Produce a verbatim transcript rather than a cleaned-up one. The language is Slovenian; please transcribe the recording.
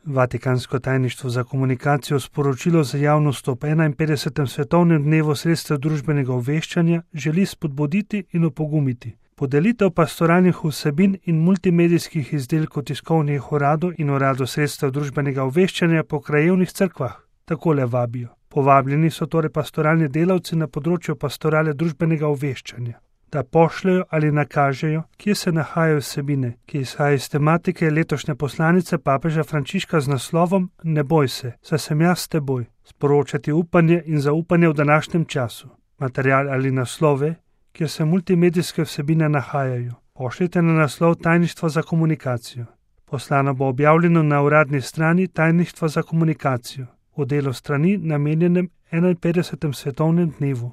Vatikansko tajništvo za komunikacijo sporočilo za javnost ob enainpetdesetem svetovnem dnevu sredstev družbenega obveščanja želi spodbuditi in opogumiti. Podelitev pastoralnih vsebin in multimedijskih izdelkov tiskovnih uradov in uradov sredstev družbenega obveščanja po krajevnih cerkvah. Takole vabijo. Povabljeni so torej pastoralni delavci na področju pastorale družbenega obveščanja, da pošljajo ali nakažejo, kje se nahajajo vsebine, ki izhajajo iz tematike letošnje poslanice papeža Frančiška z naslovom Ne boj se, saj sem jaz s teboj, sporočati upanje in zaupanje v današnjem času. Material ali naslove, kjer se multimedijske vsebine nahajajo, pošljite na naslov Tajništva za komunikacijo. Poslano bo objavljeno na uradni strani Tajništva za komunikacijo, v delu strani namenjenem enainpetdesetemu svetovnem dnevu.